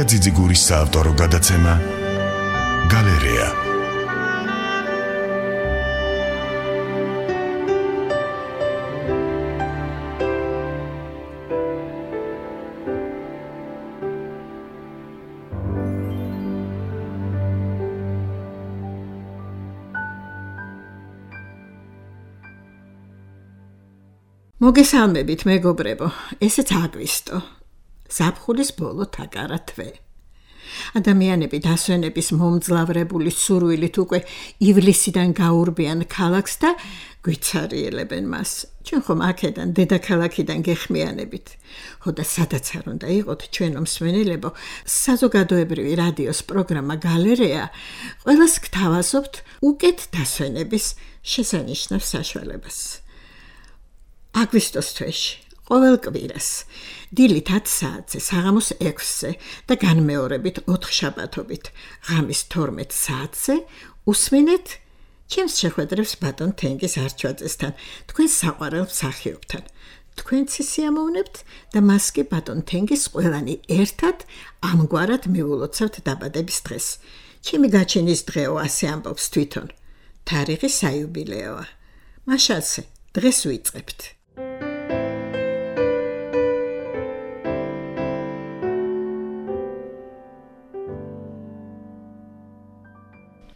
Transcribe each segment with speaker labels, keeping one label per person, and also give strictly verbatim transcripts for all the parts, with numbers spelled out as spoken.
Speaker 1: ძიძიგურის საავტორო გადაცემა გალერეა.
Speaker 2: მოგესალმებით მეგობრებო, ესეც აგვისტო. ზაფხულის ბოლო თაკარა თვე. ადამიანები დასვენების მომძლავრებული სურვილით უკვე ივლისიდან გაურბიან ქალაქს და გვიცარიელებენ მას. ჩვენ ხომ აქედან დედაქალაქიდან გეხმიანებით. ხოდა სადაც არ უნდა იყოთ ჩვენო მსმენელებო, საზოგადოებრივი რადიოს პროგრამა გალერეა ყველას გთავაზობთ უკეთ დასვენების შესანიშნავ საშუალებას. აგვისტოს თვეში, ყოველ კვირას, დილით ათი საათზე, საღამოს ექვსზე და განმეორებით ოთხშაბათობით, ღამის თორმეტ საათზე უსმენეთ ჩემს შეხვედრებს ბატონ თენგიზ არჩვაძესთან, თქვენ საყვარელ მსახიობთან. თქვენც სიამოვნებთ და მას კი ბატონ თენგიზ ყველანი ერთად ამგვარად მიულოცავთ დაბადების დღეს. ჩემი გაჩენის დღეო, ასე ამბობს თვითონ. თარიღი საიუბილეოა. მაშასე, დღეს ვიწყებთ.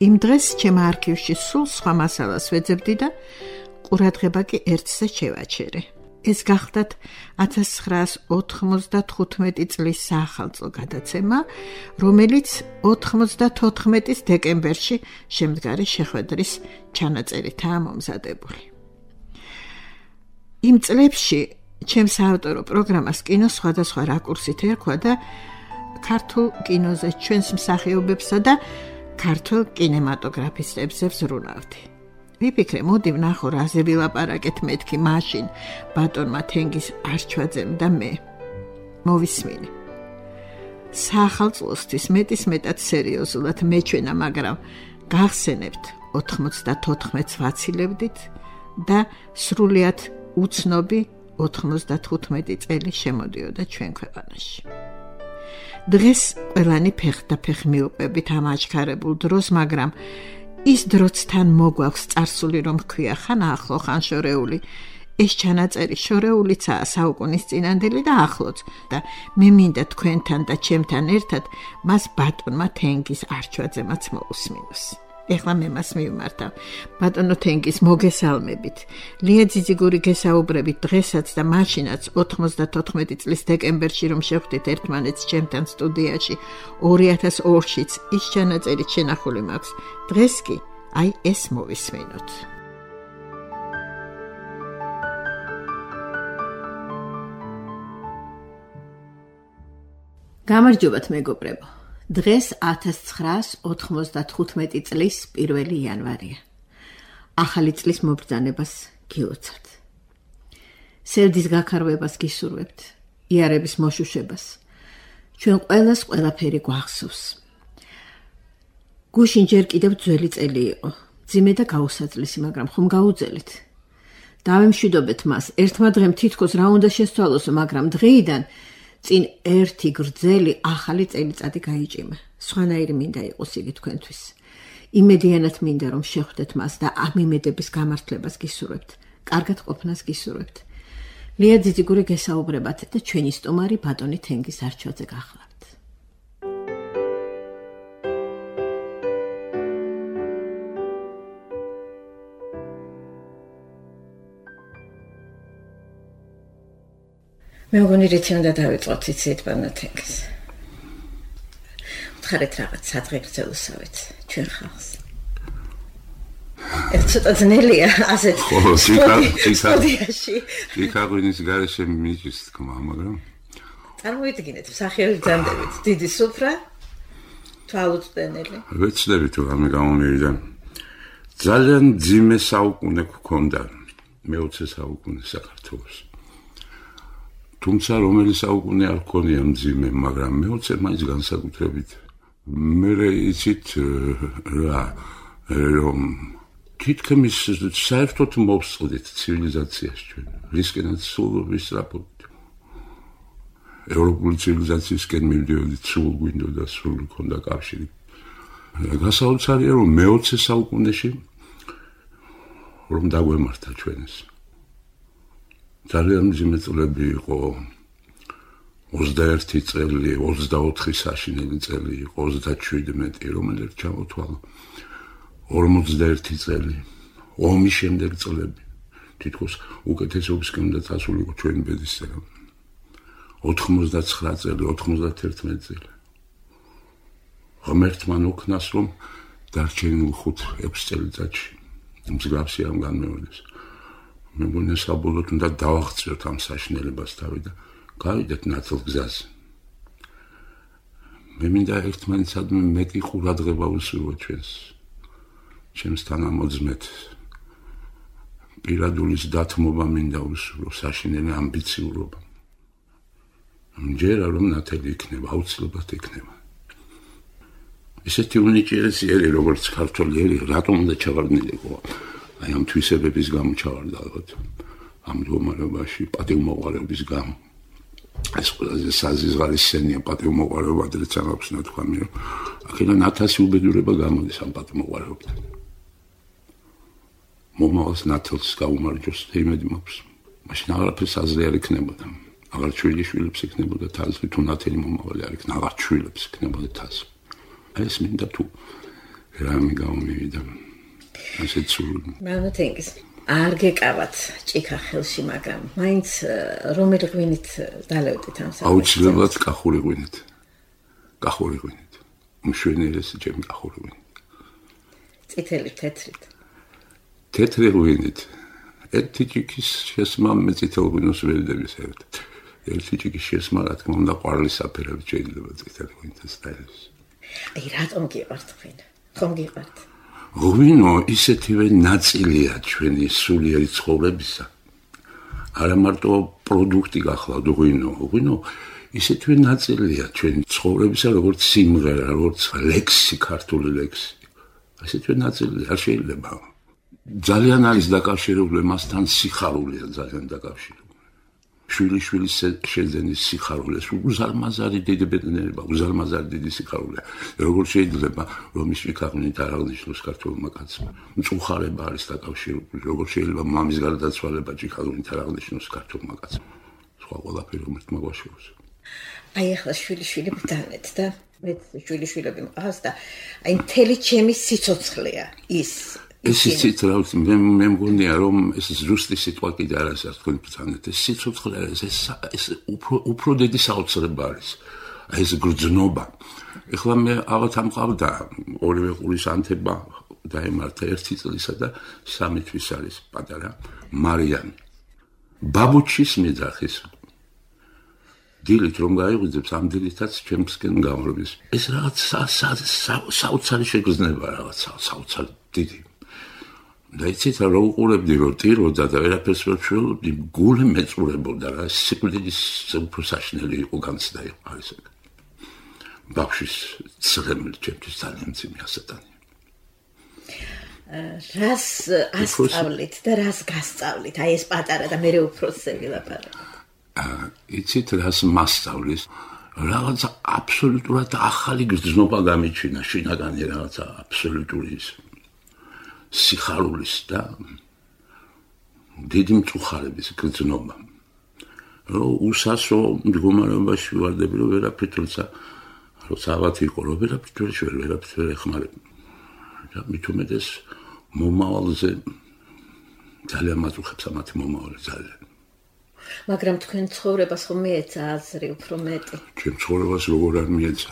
Speaker 2: იმ დღეს ჩემ არქივში სულ სხვა მასალას ვეძებდი და ყურადღება კი ერთზე შევაჩერე. ეს გახდათ ათას ცხრაას ოთხმოცდათხუთმეტი წლის საახალწლო გადაცემა, რომელიც ოთხმოცდათოთხმეტის დეკემბერში შემდგარი შეხვედრის ჩანაწერითაა მომზადებული. იმ წლებში ჩემ საავტორო პროგრამას კინო სხვადასხვა რაკურსით ერქვა და ქართულ კინოზე ჩვენს მსახიობებსა და ქართულ კინემატოგრაფისტებზე ვზრუნავდი. ვიფიქრე, მოდი ვნახო რაზე ვილაპარაკეთ მეთქი მაშინ ბატონმა თენგიზ არჩვაძემ და მე. მოვისმინე. საახალწლოსთვის მეტის მეტად სერიოზულად მეჩვენა, მაგრამ გახსენებთ ოთხმოცდათოთხმეტს ვაცილებდით და სრულიად უცნობი ოთხმოცდათხუთმეტი წელი შემოდიოდა ჩვენ ქვეყანაში. დღეს ყველანი ფეხდაფეხ მივყვებით ამ აჩქარებულ დროს, მაგრამ ის დროც თან მოგვაქვს წარსული, რომ ქვია ხან ახლო, ხან შორეული. ეს ჩანაწერი შორეულიცაა საუკუნის წინანდელი და ახლოც და მე მინდა თქვენთან და ჩემთან ერთად მას ბატონმა თენგიზ არჩვაძემაც მოусმინოს. ეხლა მე მას მივმართავ. ბატონო თენგიზ, მოგესალმებით. ლია ძიძიგური გესაუბრებით დღესაც და მაშინაც ოთხმოცდათოთხმეტი წლის დეკემბერში, რომ შევხვდით ერთმანეთს ჩემთან სტუდიაში, ორი ათას ორშიც ის ჩანაწერით შენახული მაქვს. დღეს კი აი ეს მოვისმინოთ. გამარჯობათ მეგობრებო. დღეს ათას ცხრაას ოთხმოცდათხუთმეტი წლის პირველი იანვარია. ახალი წლის მობრძანებას გილოცავთ. სევდის გაქარვებას გისურვებთ, იარების მოშუშებას. ჩვენ ყველას ყველაფერი გვახსოვს. გუშინ ჯერ კიდევ ძველი წელი იყო, ძიმე და გაუსაძლისი, მაგრამ ხომ გაუძელით. დავემშვიდობეთ მას, ერთმა დღემ თითქოს რა უნდა შესცვალოსო, მაგრამ დღეიდან წინ ერთი გრძელი ახალი წელიწადი გაიჭიმა. სხვანაირი მინდა იყოს იგი თქვენთვის. იმედიანად მინდა, რომ შეხვდეთ მას და ამ იმედების გამართლებას გისურვებთ. კარგად ყოფნას გისურვებთ. ლია ძიძიგური გესაუბრებათ და ჩვენი სტუმარი ბატონი თენგიზ არჩვაძე გახლავთ. მე მგონი რითი უნდა დავიწყოთ, იცით ბატონო თენგიზ. ვთხარით რაღაც სადღე გრძელოსავით ჩვენ ხალხს. ეს ცოტა ძნელია, ასეთ
Speaker 3: სტუდიაში. იქაღვინის გარეშე მიჭის თქმა, მაგრამ
Speaker 2: წარმოიდგინეთ, მსახიობი ბრძანდებით, დიდი სუფრა, თვალუწვდენელი.
Speaker 3: ვეცდები თუ რამე გამომივიდა. ძალიან ძიმე საუკუნე გქონდა, მეოცე საუკუნე საქართველოს. თუმცა რომელი საუკუნე არ გქონია მძიმე, მაგრამ მეოცე მაინც განსაკუთრებით. მე იცით რა, რომ თითქმის საერთოდ მოვსყიდით ცივილიზაციაში ჩვენ, რისკენაც სულ ვისწრაფობთ. ევროპული ცივილიზაციისკენ მივდიოდით, სულ გვინდოდა, სულ გქონდა კავშირი. გასაოცარია, რომ მეოცე საუკუნეში რომ დაგვემართა ჩვენს. ძალიან მძიმე წლები იყო. ოცდაერთი წელი, ოცდაოთხი საშინელი წელი იყო, ოცდაშვიდმეტი, რომელიც ჩამოთვალა. ორმოცდაერთი წელი, ომის შემდეგ წლები. თითქოს უკეთესობისკენ უნდა წასულიყო ჩვენი ბედისწერა. ოთხმოცდაცხრა წელი, ოთხმოცდაერთი წელი. ღმერთმა ნუქნას, რომ დარჩენილ ხუთ ექვს წელიწადში მსგავსი ამ განმეორდეს. მე მგონია საბოლოოდ უნდა დავაღწიოთ ამ საშინელებას თავი და გავიდეთ ნაცვლ გზაზე. მე მინდა ერთმანეთსადმი მეტი ყურადღება ვუსურვოთ ჩვენს, ჩემს თანამოძმეთ. პირადულის დათმობა მინდა ვუსურვო, საშინელი ამბიციურობა. მჯერა რომ ნათელი იქნება, აუცილებლად იქნება. ისეთი უნიჭიერესიერი როგორც ქართველი ერი, რატომ უნდა ჩავარდნილიყო? აი ამ თვისებების გამო ჩავარდა ალბათ. ამ მდგომარეობაში პატივმოყვარეობის გამო. ეს ყველაზე საზღარის სცენია პატივმოყვარეობა, დრეც არ აქვს ნათქვამი, რომ აქედან ათასი უბედურება გამოდის ამ პატივმოყვარეობიდან. მომავალს ნათელს გაუმარჯოს და იმედი მაქვს. მაშინ აღარაფერს აზრი არ იქნებოდა. აღარ შვილიშვილებს იქნებოდა თასი, თუ ნათელი მომავალი არ იქნა, აღარ შვილებს იქნებოდა თასი. ეს მინდა თუ რამე გამომივიდა. ასეც სულ.
Speaker 2: მანათენგის არ გეკავათ ჭიქა ხელში, მაგრამ მაინც რომელი ღვინით დალევდით ამ საქმეს?
Speaker 3: აუცილებლად კახური ღვინით. კახური ღვინით. მშვენიერესი ჩემი კახური ღვინით.
Speaker 2: წითელი თეთრით.
Speaker 3: თეთრი ღვინით. ერთი ჭიქის შესმა მე წითელ ღვინოს ვერ დავისერდეთ. ერთი ჭიქის შესმა, რა თქმა უნდა, ყვარლის საფერები შეიძლება წითელი ღვინითაც დაელოს.
Speaker 2: აი რატომ გიყვართ ღვინო? ხომ გიყვართ?
Speaker 3: ღვინო ისეთივე ნაწილია ჩვენი სულიერი ცხოვრებისა. არა მარტო პროდუქტი გახლავთ ღვინო, ღვინო ისეთივე ნაწილია ჩვენი ცხოვრებისა, როგორც სიმღერა, როგორც ლექსი, ქართული ლექსი. ისეთივე ნაწილია, არ შეიძლება. ძალიან არის დაკავშირებული მასთან სიხარულია, ძალიან დაკავშირებული. შვილიშვილის შეძენის სიხარული, უზარმაზარი დიდი ბედნიერება, უზარმაზარი დიდი სიხარულია. როგორ შეიძლება რომ ის ვიქაღმით არ აღნიშნოს ქართულმა კაცმა? მწუხარება არის დაკავშირებული. როგორ შეიძლება მამის გარდაცვალება ჭიქაღმით არ აღნიშნოს ქართულმა კაცმა? სხვა ყველაფერი ღმერთმა გვაშოროს.
Speaker 2: აი ახლა შვილიშვილი ბრძანეთ და მე შვილიშვილები მყავს და აი მთელი ჩემი სიცოცხლეა ის.
Speaker 3: ეს იცით რა ვიცი, მე მე მგონია რომ ეს ზუსტი სიტყვა კიდე არ არის თქვენ ბრძანეთ. ეს სიცოცხლე არის, ეს ეს უფრო უფრო დიდი საოცრება არის. ეს გრძნობა. ეხლა მე აღათ ამყავდა ორივე ყურის ანთება დაემართა ერთი წლისა და სამი თვის არის პატარა მარიანი. ბაბუჩის მეძახის დილით რომ გაიღვიძებს, ამ დილითაც ჩემსკენ გამრობის. ეს რაღაც საოცარი შეგრძნება, რაღაც საოცარი დიდი. და იცით რა უყურებდი რომ ტიროდა და ვერაფერს ვერ შევდი, გული მეწურებოდა რა, სიკვდილის უფრო საშინელი იყო განცდა იყო არის ეგ. ბავშვის ცრემლი ჩემთვის ძალიან მძიმე ასატანია.
Speaker 2: რას ასწავლით და რას გასწავლით? აი ეს პატარა და მე უფროსები ლაპარაკობ.
Speaker 3: იცით რას მასწავლის? რაღაცა აბსოლუტურად ახალი გრძნობა გამიჩინა, შინაგანი რაღაცა აბსოლუტური ის სიხარულის და დიდი მწუხარების გრძნობა. რომ უსასო მდგომარეობაში ვარდები, რომ ვერაფრით როცა როცა ავათ იყო, რომ ვერაფრით ვერ შევერ, ვერაფრით ვერ ეხმარებ. და მით უმეტეს მომავალზე ძალიან მაწუხებს ამათი მომავალი ძალიან.
Speaker 2: მაგრამ თქვენ ცხოვრებას ხომ მიეცა აზრი უფრო მეტი?
Speaker 3: ჩემ ცხოვრებას როგორ არ მიეცა?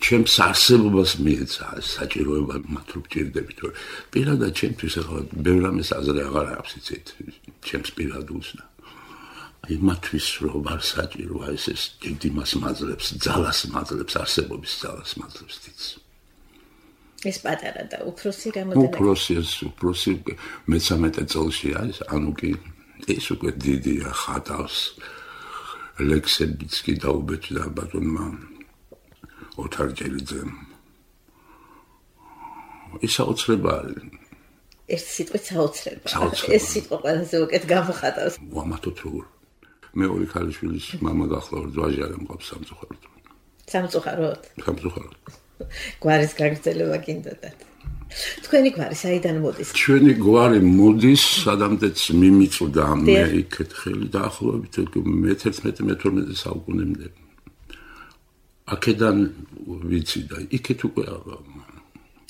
Speaker 3: ჩემს არსებობას მიეცა საჭიროება მათ რო გჭირდები, თორე პირადად ჩემთვის ახლა ბევრ ამას აზრი აღარ აქვს, იცით, ჩემს პირადულს და აი მათთვის რო ვარ საჭირო, აი ეს დიდი მას მაძლებს, ძალას მაძლებს, არსებობის ძალას მაძლებს თიც.
Speaker 2: ეს პატარა და უფროსი რამოდენად?
Speaker 3: უფროსი ეს უფროსი მესამეტე წელში არის, ანუ კი ეს უკვე დიდია, ხატავს ლექსებიც კი დაუბეჭდა ბატონმა ოთარ ჯელიძემ. ის საოცრება არის.
Speaker 2: ეს სიტყვით საოცრება. ეს სიტყვა ყველაზე უკეთ გამოხატავს.
Speaker 3: ვამათოთ როგორ. მეორე ქალიშვილის მამა გახლავართ, ვაჟი არ მყავს სამწუხაროდ.
Speaker 4: სამწუხაროდ.
Speaker 3: სამწუხაროდ.
Speaker 4: გვარის გაგრძელება გინდოდათ. თქვენი გვარი საიდან მოდის?
Speaker 3: ჩვენი გვარი მოდის, სადამდეც მიმიწვდა მე იქეთ ხელი დაახლოებით მეთერთმეტე მეთორმეტე საუკუნემდე. აქედან ვიცი და იქეთ უკვე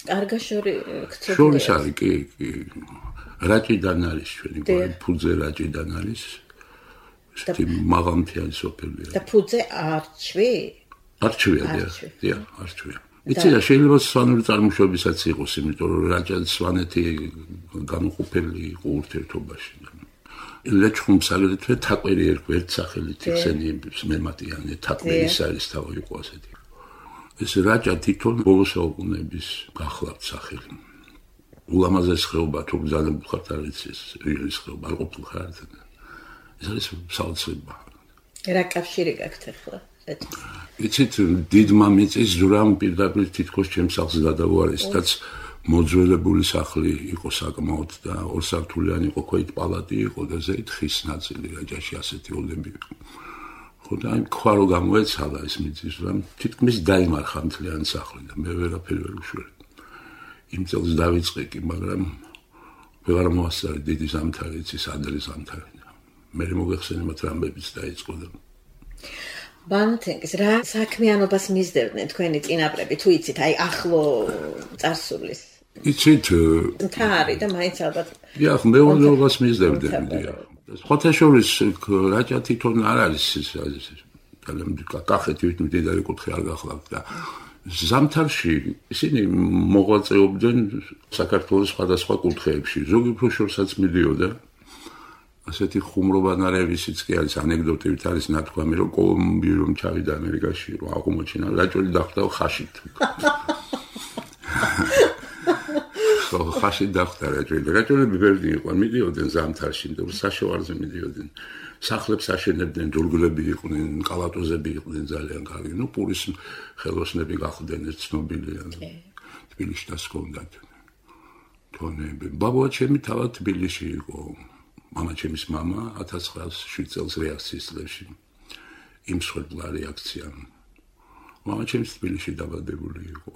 Speaker 4: კარგა შორი ქცევა.
Speaker 3: შორის არის, კი, კი. რაჭიდან არის ჩვენი გვარი, ფუძე რაჭიდან არის. შეთი მაღალმთიანი სოფელია.
Speaker 4: და ფუძე არჩვი?
Speaker 3: არჩვია, დიახ, არჩვია. იცი და შეიძლება სვანური წარმოშობისაც იყოს, იმიტომ რომ რაჭა და სვანეთი განუყოფელი იყო ურთიერთობაში. ლეჩხუმს აგრეთვე თაყვერი ერქვა ერთ სახელით ხსენიებს მემატიანე თაყვერის არის თავი იყო ასეთი. ეს რაჭა თვითონ ბოლო საუკუნეების გახლავთ სახელი. ულამაზეს ხეობა თუ გზავნებულ ხართ არ იცი ეს რეალის ხეობა არ ყოფილ ხართ. ეს არის საოცრება.
Speaker 4: რა კავშირი გაქვთ ახლა?
Speaker 3: იცით დიდმა მიწის ზურამ პირდაპირ თითქოს ჩემს სახლს გადავარისთაც მოძველებული სახლი იყო საკმაოდ და ორსართულიანი იყო ქვით პალატი იყო და ზედ ხის ნაწილი რაჭაში ასეთი ოლები იყო. ხო და აი ქვა რო გამოეცალა ეს მიწის ზურამ თითქმის დაიმარხა მთლიანი სახლი და მე ვერაფერი ვერ ვუშვერი. იმ წელს დავიწყე კი მაგრამ ვეღარ მოასწარი დიდი ზამთარი იცის ადრე ზამთარი. მე მოგეხსენე მათ რამბებიც დაიწყო და
Speaker 4: ბანთენგის რა საქმიანობას მისდევდნენ თქვენი წინაპრები თუ იცით აი ახლო წარსულის
Speaker 3: იცით
Speaker 4: მთარი და მაინც ალბათ
Speaker 3: დიახ მეურნეობას მისდევდნენ დიახ სხვათა შორის რაჭა თვითონ არ არის ის კახეთი მდიდარი კუთხე არ გახლავთ და ზამთარში ისინი მოღვაწეობდნენ საქართველოს სხვადასხვა კუთხეებში ზოგი უფრო შორსაც მიდიოდა ასეთი ხუმრობანარევისიც კი არის ანეკდოტივით არის ნათქვამი რომ კოლუმბი რომ ჩავიდა ამერიკაში რომ აღმოჩინა რაჭული დახვდა ხაშით ხო ხაშით დახვდა რაჭული რაჭულები ვერდი იყვნენ მიდიოდნენ ზამთარში და საშოვარზე მიდიოდნენ სახლებს აშენებდნენ ჯულგლები იყვნენ კალატოზები იყვნენ ძალიან კარგი ნუ პურის ხელოსნები გახდნენ ეს ცნობილია თბილისში დასკონდათ თონები ბაბუა ჩემი თავად თბილისში იყო მამა ჩემის მამა ათას ცხრაასი წელს რეაქციის წლებში იმ სხვადასხვა რეაქცია მამა ჩემს თბილისში დაბადებული იყო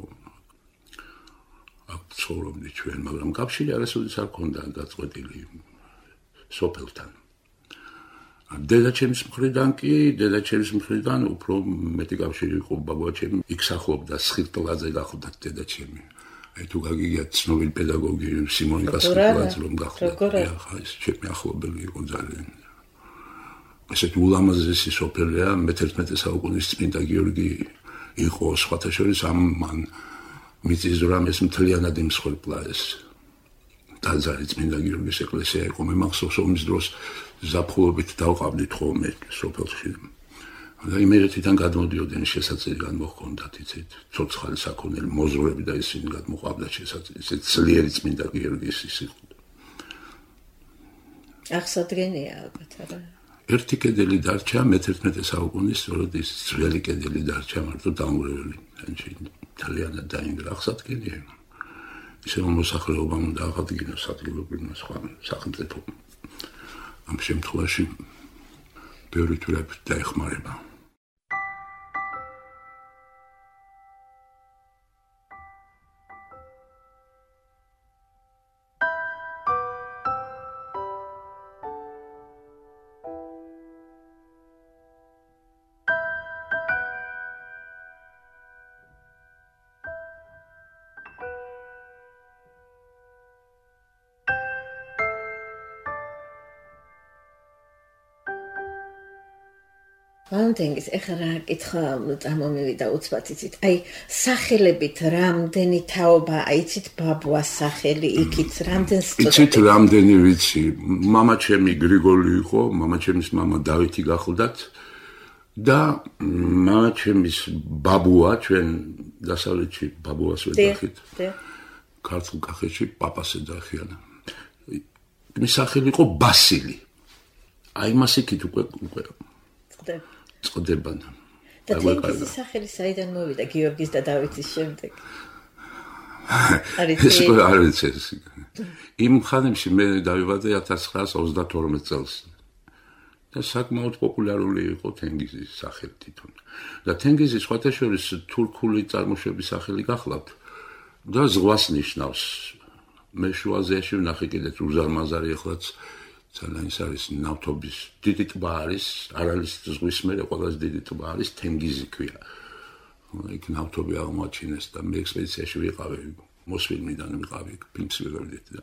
Speaker 3: აქ ცხოვრობდი ჩვენ მაგრამ კავშირი არასოდეს არ ქონდა დაწყვეტილი სოფელთან დედა ჩემის მხრიდან კი დედა ჩემის მხრიდან უფრო მეტი კავშირი იყო ბაბუა ჩემი იქ სახლობდა სხირტლაძე გახლდა დედა ჩემი აი თუ გაგიგია ცნობილი პედაგოგი სიმონიკა სკოლაც რომ გახლდა ხა ეს ჩემი ახლობელი იყო ძალიან ესეთ ულამაზესი სოფელია მეთერთმეტე საუკუნის წმინდა გიორგი იყო სხვათა შორის ამ მან მიწის ზურამის მთლიანად იმსხვერპლა ეს ტაძარი წმინდა გიორგის ეკლესია იყო მე მახსოვს ომის დროს ზაფხულობით დავყავდით ხოლმე სოფელში და იმერეთიდან გადმოდიოდნენ შესაძლებელი განმოხონდათ იცით ცოცხალი საქონელი მოზროები და ისინი გადმოყავდათ შესაძლებელი ისეთ ძლიერი წმინდა გიორგის ის იყო
Speaker 4: აღსადგენია ალბათ არა
Speaker 3: ერთი კედელი დარჩა მეთერთმეტე საუკუნის სწორედ ის ძველი კედელი დარჩა მარტო დამურეველი ძალიან დაინგრა აღსადგენია ისე მოსახლეობამ უნდა აღადგინოს ადგილობრივმა სხვა სახელმწიფო ამ შემთხვევაში ბევრი თურები დაეხმარება
Speaker 4: ბანთენგის ეხლა რა კითხვა წარმომივიდა უცბად იცით აი სახელებით რამდენი თაობა აიცით ბაბუას სახელი იქით რამდენს
Speaker 3: იცით რამდენი ვიცი მამა ჩემი გრიგოლი იყო მამა ჩემის მამა დავითი გახლდათ და მამა ჩემის ბაბუა ჩვენ დასავლეთში ბაბუას ვეძახით ქართულ კახეთში პაპას ეძახიან მის სახელი იყო ბასილი აი მას იქით უკვე უკვე წდება
Speaker 4: და თენგიზის სახელი საიდან მოვიდა გიორგის და დავითის შემდეგ
Speaker 3: ეს არ ვიცი იმ ხანებში მე დავიბადე ათას ცხრაასი ოცდათორმეტ წელს და საკმაოდ პოპულარული იყო თენგიზის სახელი თვითონ. და თენგიზის სხვათა შორის თურქული წარმოშობის სახელი გახლავთ და ზღვას ნიშნავს. მე შუა აზიაში ვნახე კიდეც უზარმაზარი ახლაც ძალიან ის არის ნავთობის დიდი ტბა არის, არ არის ზღვის მერე ყველაზე დიდი ტბა არის თენგიზი ქვია. იქ ნავთობი აღმოაჩინეს და მე ექსპედიციაში ვიყავი, მოსვიდნიდან ვიყავი, ფილმს ვიღებდი და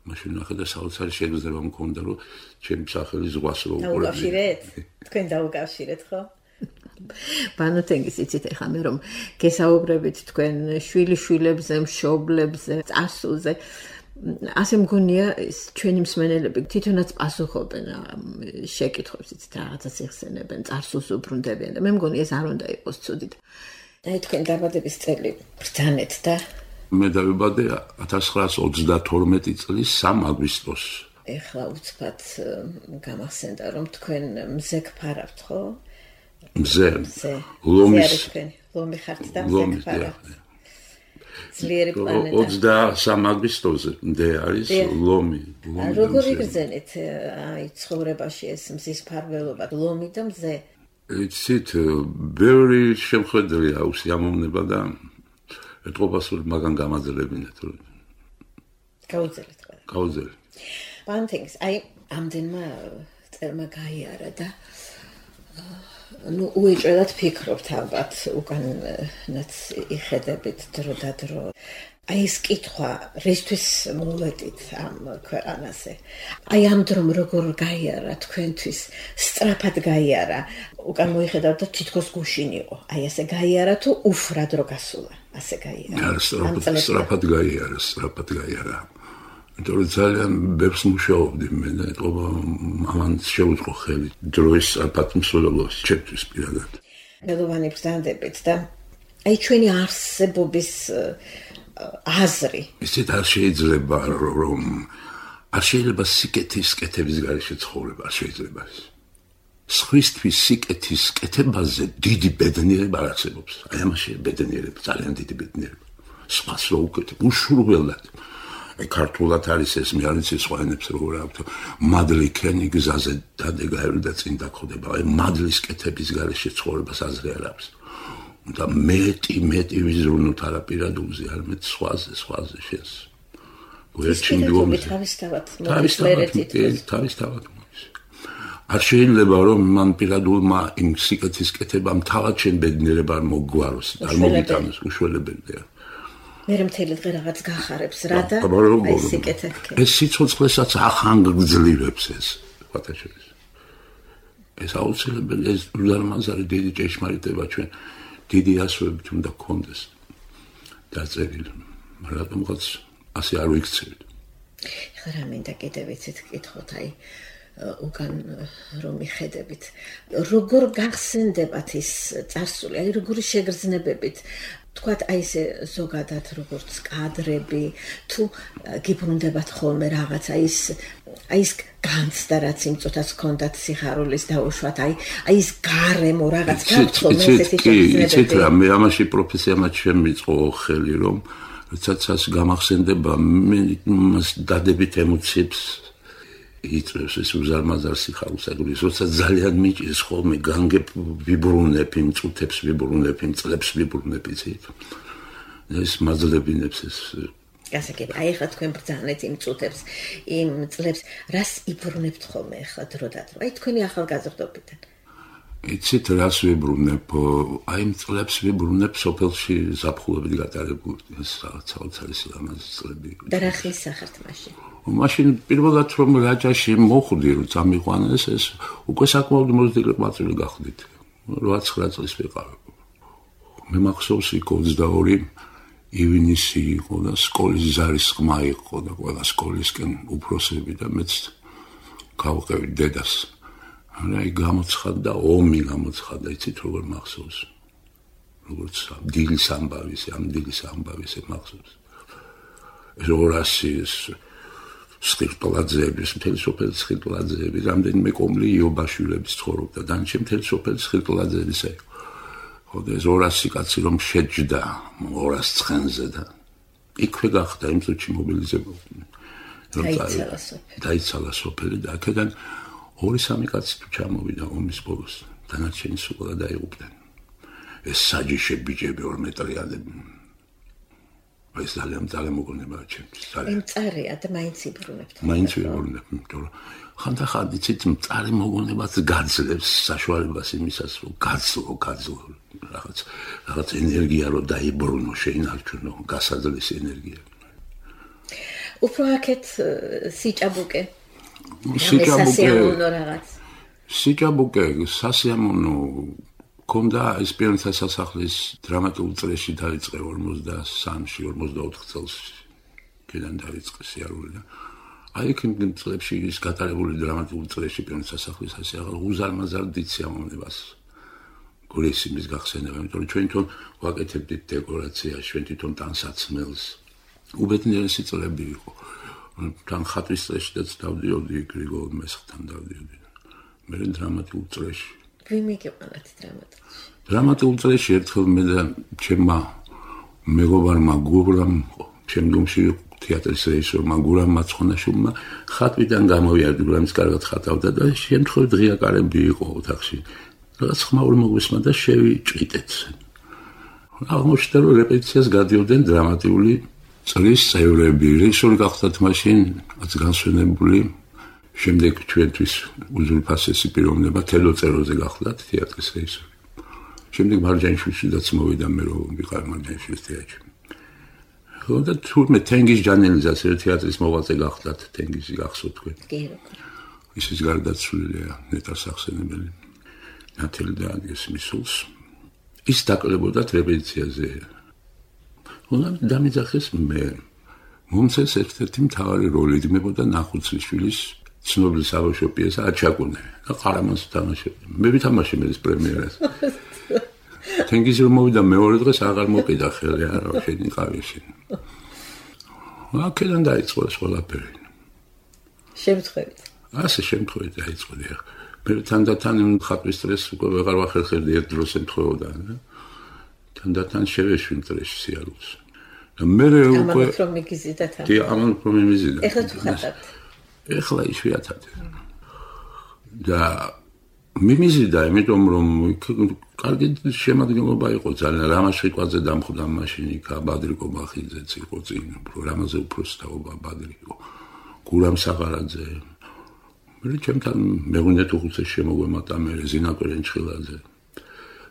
Speaker 3: მაშინ ნახე და საოცარი შეგრძნება მქონდა, რომ ჩემი სახელი ზღვას რო უყურებდი.
Speaker 4: დაუკავშირეთ? თქვენ დაუკავშირეთ, ხო?
Speaker 2: ბანო თენგიზ იცით ახლა მე რომ გესაუბრებით თქვენ შვილიშვილებზე, მშობლებზე, წარსულზე ასე მგონია ის ჩვენი მსმენელები თვითონაც პასუხობენ შეკითხვებს იცით რაღაცას იხსენებენ, წარსულს უბრუნდებიან და მე მგონია ეს არ უნდა იყოს ცუდით.
Speaker 4: აი თქვენ დაბადების წელი ბრძანეთ და
Speaker 3: მე დავიბადე ათას ცხრაას ოცდათორმეტი წლის სამი აგვისტოს.
Speaker 4: ეხლა უცბად გამახსენდა რომ თქვენ მზე გფარავთ, ხო?
Speaker 3: მზე.
Speaker 4: ლომის ლომი ხართ და მზე გფარავთ. ძლიერი პლანეტა.
Speaker 3: ოცდასამი აგვისტოზე მდე არის ლომი.
Speaker 4: როგორ იგრძენით აი ცხოვრებაში ეს მზის ფარველობა, ლომი და მზე?
Speaker 3: იცით, ბევრი შემხედრია უსიამოვნება და ეთყობა სულ მაგან გამაძლებინეთ.
Speaker 4: გაუძელეთ ყველა.
Speaker 3: გაუძელეთ.
Speaker 4: პანთინგს, აი ამდენმა წერმა გაიარა და ну უეჭველად ფიქრობთ ალბათ უკანაც იხედებით დრო და დრო. აი ეს კითხვა რისთვის მოვედით ამ ქვეყანაზე? აი ამ დრომ როგორ გაიარა თქვენთვის? სწრაფად გაიარა. უკან მოიხედავთ და თითქოს გუშინ იყო. აი ასე გაიარა თუ ufrad რო გასულა? ასე გაიარა.
Speaker 3: სწრაფად გაიარა, სწრაფად გაიარა. იმიტომ ძალიან ბევრს მუშაობდი მე და ეთყობა ამან შეუწყო ხელი დროის სწრაფად მსვლელობას ჩემთვის პირადად.
Speaker 4: მელოვანი ბრძანდებით და აი ჩვენი არსებობის აზრი.
Speaker 3: ისეთ არ შეიძლება რომ არ შეიძლება სიკეთის კეთების გარეშე ცხოვრება, არ შეიძლება ეს. სხვისთვის სიკეთის კეთებაზე დიდი ბედნიერება არ არსებობს. აი ამაში ბედნიერება, ძალიან დიდი ბედნიერება. სხვას რო უკეთებ, უშურველად. აი ქართულად არის ეს, მე არ ვიცი სხვა ენებს როგორ აქვს. მადლი ქენი გზაზე დადეგაერი და წინ დაგხვდება. აი მადლის კეთების გარეშე ცხოვრებას აზრი არ აქვს. და მეტი მეტი ვიზრუნოთ არაპირადულზე, არამედ სხვაზე, სხვაზე შენს.
Speaker 4: გვერდჩინდომი თავისთავად მოხერეთ
Speaker 3: თავისთავად. არ შეიძლება რომ მან პირადულმა იმ სიკეთის კეთებამ თავად შენ ბედნიერება არ მოგვაროს, არ მოგიტანოს, უშველებელია.
Speaker 4: მე მთელი დღე რაღაც გახარებს რა და აი სიკეთე.
Speaker 3: ეს სიცოცხლესაც ახანგრძლივებს ეს, ვათა შორის. ეს აუცილებელია, ეს უზარმაზარი დიდი ჭეშმარიტება ჩვენ დიდი ასოებით უნდა გქონდეს დაწერილი. რატომღაც ასე არ ვიქცევით.
Speaker 4: ეხლა რა მინდა კიდევ იცით გკითხოთ, აი უკან რომ მიხედებით, როგორ გახსენდებათ ის წარსული, აი როგორი შეგრძნებებით, თქვათ აი ესე ზოგადად როგორც კადრები, თუ გიბრუნდებათ ხოლმე რაღაცა ის აი ის განცდა რაც იმ წუთას ჰქონდათ სიხარულის დაუშვათ, აი აი ის გარემო რაღაც გაქვთ ხოლმე ესეთი შეგრძნებები.
Speaker 3: იცით რა, მე ამაში პროფესიამაც შემიწყო ხელი რომ როდესაც ას გამახსენდება მე მას დადებით ემოციებს იწევს ეს უზარმაზარ სიხარულს აგულის, როდესაც ძალიან მიჭირს ხოლმე განგებ ვიბრუნებ იმ წუთებს, ვიბრუნებ იმ წლებს, ვიბრუნებ იცით. ეს მაძლებინებს ეს
Speaker 4: გასაგები, აი ახლა თქვენ ბრძანეთ იმ წუთებს, იმ წლებს, რას იბრუნებთ ხოლმე ახლა დრო და დრო? აი თქვენი ახალგაზრდობიდან.
Speaker 3: იცით რას ვიბრუნებ? აი იმ წლებს ვიბრუნებ სოფელში ზაფხულობით გატარებული ეს საოცარი სილამაზის წლები.
Speaker 4: და რა ხის სახართ მაშინ?
Speaker 3: მაშინ პირველად რომ რაჭაში მოხვდი, რომ წამიყვანეს ეს უკვე საკმაოდ მოზრდილი ყმაწვილი გახდით. რვაცხრა წლის ვიყავ. მე მახსოვს იქ ოცდაორი ივნისი იყო და სკოლის ზარის ხმა იყო და ყველა სკოლისკენ უფროსები და მეც გავყევი დედას. აი გამოცხადდა ომი გამოცხადდა, იცით როგორ მახსოვს. როგორც დილის ამბავის, ამ დილის ამბავის მახსოვს. ეს ორასი ეს სხირტლაძეების, მთელი სოფელი სხირტლაძეების, რამდენიმე კომლი იობაშვილების ცხოვრობდა, დანარჩენი მთელი სოფელი სხირტლაძეების იყო. ხო და ეს ორასი კაცი რომ შეჯდა ორას ცხენზე და იქვე გახდა იმ წუთში მობილიზებული.
Speaker 4: დაიცალა სოფელი.
Speaker 3: დაიცალა სოფელი და აქედან ორი სამი კაცი თუ ჩამოვიდა ომის ბოლოს, დანარჩენი სულ დაიღუპდნენ. ეს საჯიში ბიჭები ორ მეტრიანები. ეს ძალიან ძალიან მოგონება ჩემთვის.
Speaker 4: ძალიან მწარია და მაინც იბრუნებთ.
Speaker 3: მაინც ვიბრუნებ, იმიტომ რომ ხანდახან იცით მწარი მოგონებაც გაძლევს საშუალებას იმისას, რომ გაცლო, გაცლო რაღაც რაღაც ენერგია რო დაიბრუნო, შეინარჩუნო, გასაძლეს ენერგია.
Speaker 4: უფრო აქეთ სიჭაბუკე.
Speaker 3: სიჭაბუკე
Speaker 4: რაღაც.
Speaker 3: სიჭაბუკე სასიამოვნო კონდა ეს პირთა სასახლის დრამატულ წრეში დაიწყე ორმოცდასამში ორმოცდაოთხ წელს კიდან დაიწყე სიარული და აი იქ იმ წლებში ის გატარებული დრამატულ წრეში პირთა სასახლის ასეაღალ უზარმაზარ დიდ სიამოვნებას გულის იმის გახსენება, იმიტომ რომ ჩვენ თვითონ ვაკეთებდით დეკორაციას, ჩვენ თვითონ ტანსაცმელს. უბედნიერესი წლები იყო. თან ხატვის წრეშიც დავდიოდი, გრიგოლ მესხთან დავდიოდი. მე დრამატულ წრეში
Speaker 4: ვინ მიგეყანათ დრამატულ?
Speaker 3: დრამატულ წრეში ერთხელ მე და ჩემმა მეგობარმა გურამ, შემდგომში თეატრის რეჟისორმა გურამ მაცხონაშვილმა ხატვიდან გამოვიარდი, გურამის კარგად ხატავდა და შემთხვევით ღია კარები იყო ოთახში. რაღაც ხმაური მოგვისმა და შევიჭიტეთ. აღმოჩნდა რომ რეპეტიციას გადიოდნენ დრამატული წრის წევრები, რეჟისორი გახდათ მაშინ რაც განსვენებული. შემდეგ ჩვენთვის უზურპასესი პიროვნება თელო წეროზე გახლდათ თეატრის რეჟისორი. შემდეგ მარჯანიშვილიც მოვიდა მე რომ ვიყავ მარჯანიშვილის თეატრში. ხო და თურმე თენგიზ ჟანელიზაცია თეატრის მოღვაწე გახლდათ თენგიზი გახსოვთ თქვენ.
Speaker 4: კი რა.
Speaker 3: ისიც გარდაცვლილია ნეტა სახსენებელი. ნათელი და აგეს მისულს. ის დაკლებოდათ რეპეტიციაზე. ხო და დამიძახეს მე. მომცეს ერთ-ერთი მთავარი როლი იდგმებოდა ნახუცლიშვილის ცნობილი საბავშვო პიესა აჩაკუნე და ყარამანს თამაშობდა. მე ვითამაშე მე ეს პრემიერას. თენგიზი რომ მოვიდა მეორე დღეს აღარ მოკიდა ხელი არა შენ იყავი შენ. აქედან დაიწყო ეს ყველაფერი.
Speaker 4: შემთხვევით.
Speaker 3: ასე შემთხვევით დაიწყო და მე თანდათან ხატვის სტრეს უკვე ვეღარ ვახერხებდი ერთ დროს ემთხვეოდა და თანდათან შევეშვი სტრესში სიარულს. და მე უკვე
Speaker 4: ამან რომ მიგიზიდათ ამ.
Speaker 3: კი ამან რომ მიზიდა.
Speaker 4: ეხლა თუ ხატავთ.
Speaker 3: ეხლა იშვიათად. და მიმიზიდა, იმიტომ რომ კარგი შემადგენლობა იყო ძალიან რამაშიკვაძე დამხვდა მაშინ იქ ბადრიკო ბახიძეც იყო წინ, რამაზე უფროსი თაობა ბადრი იყო. გურამ საღარაძე. მე ჩემთან მეღვინე თუხუცეს შემოგვემატა მე ზინა კვერენჩხილაძე.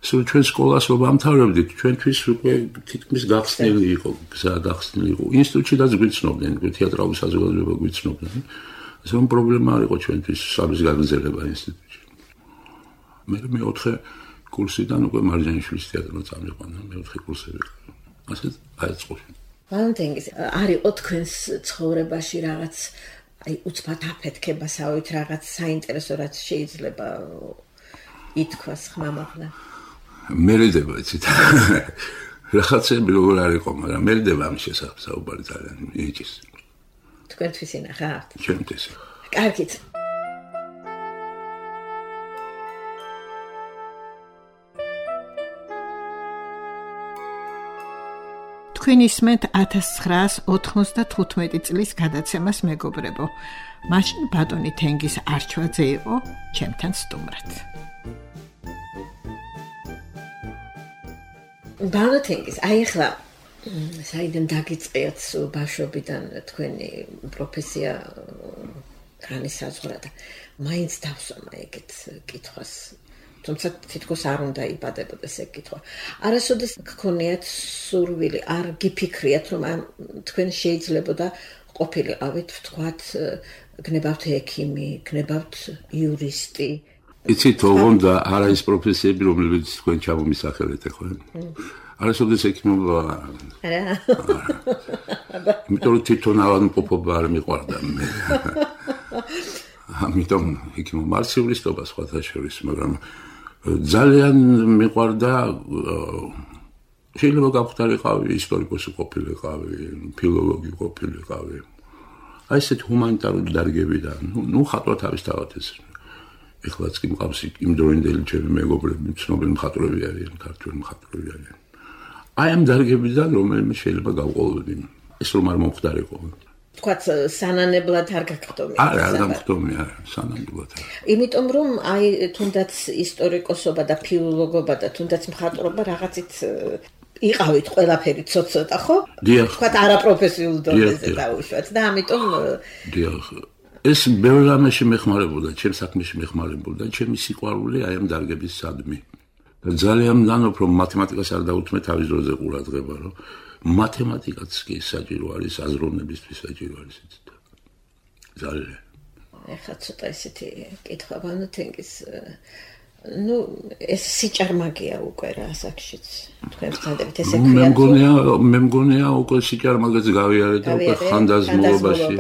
Speaker 3: სულ ჩვენ სკოლას რომ ამთავრებდით, ჩვენთვის უკვე თითქმის გახსნილი იყო, გზა გახსნილი იყო. ინსტიტუტშიდაც გვიცნობდნენ, თეატრალური საზოგადოება გვიცნობდნენ. ეს რომ პრობლემა არ იყო ჩვენთვის საბის გაგრძელება ინსტიტუტში. მე მეოთხე კურსიდან უკვე მარჯანიშვილის თეატრმა წამიყვანა, მეოთხე კურსები. ასე აიწყო.
Speaker 4: ვალენტინგის არ იყო თქვენს ცხოვრებაში რაღაც აი უცბად აფეთქებასავით რაღაც საინტერესო რაც შეიძლება ითქვას ხმამაღლა.
Speaker 3: მერიდება იცით. რაღაცები როგორ არ იყო, მაგრამ მერიდება ამ შესახებ საუბარი ძალიან იჭის.
Speaker 4: თქვენთვის ინახავთ?
Speaker 3: ჩემთვის.
Speaker 4: კარგით.
Speaker 2: თქვენ ისმენთ ათას ცხრაას ოთხმოცდათხუთმეტი წლის გადაცემას მეგობრებო. მაშინ ბატონი თენგიზ არჩვაძე იყო ჩემთან სტუმრად.
Speaker 4: ბატონი თენგიზ, აი ახლა საიდან დაგიწყიათ ბავშვობიდან თქვენი პროფესია განისაზღვრა და მაინც დავსვამა ეგეთ კითხვას. თუმცა თითქოს არ უნდა იბადებოდეს ეგ კითხვა. არასოდეს გქონიათ სურვილი, არ გიფიქრიათ, რომ თქვენ შეიძლებოდა ყოფილიყავით, ვთქვათ, გნებავთ ექიმი, გნებავთ იურისტი.
Speaker 3: იცით, ოღონდ არა ის პროფესიები, რომლებიც თქვენ ჩამომისახელეთ ხო? არასოდეს ექიმობა
Speaker 4: არა.
Speaker 3: იმიტომ რომ თვითონ ავადმყოფობა არ მიყვარდა მე. ამიტომ ექიმობა მარცივლისტობა სხვათა შორის, მაგრამ ძალიან მიყვარდა შეიძლება გავხდარიყავი ისტორიკოსი ყოფილიყავი, ფილოლოგი ყოფილიყავი. აი ესეთ ჰუმანიტარული დარგებიდან, ნუ ხატვა თავისთავად ეს. ეხლაც კი მყავს იმ დროინდელი ჩემი მეგობრები, ცნობილი მხატვრები არიან, ქართველი მხატვრები არიან. აი ამ დარგებიდან რომელიმე შეიძლება გავყოლოდი. ეს რომ არ მომხდარიყო.
Speaker 4: თქვათ სანანებლად არ გაგხდომია.
Speaker 3: არა, არ გამხდომი, არა, სანანებლად.
Speaker 4: იმიტომ რომ აი თუნდაც ისტორიკოსობა და ფილოლოგობა და თუნდაც მხატვრობა რაღაცით იყავით ყველაფერი ცოტ-ცოტა, ხო? თქვათ არაპროფესიულ დონეზე დაუშვათ და ამიტომ
Speaker 3: დიახ. ეს ბევრ რამეში მეხმარებოდა, ჩემ საქმეში მეხმარებოდა, ჩემი სიყვარული აი ამ დარგების სადმი. და ძალიან მგონია რომ მათემატიკას არ დაუთმე თავის დროზე ყურადღება, რომ მათემატიკაც კი საჭირო არის აზროვნებისთვის საჭირო არის ეს. ძალიან.
Speaker 4: ეხლა ცოტა ისეთი კითხვა ბანუთენგის ну, ეს სიჭარმაგია უკვე რა ასაკშიც. თქვენ ვცადებით ესე ქვია.
Speaker 3: მე მგონია, მე მგონია უკვე სიჭარმაგეც გავიარე და უკვე ხანდაზმულობაში.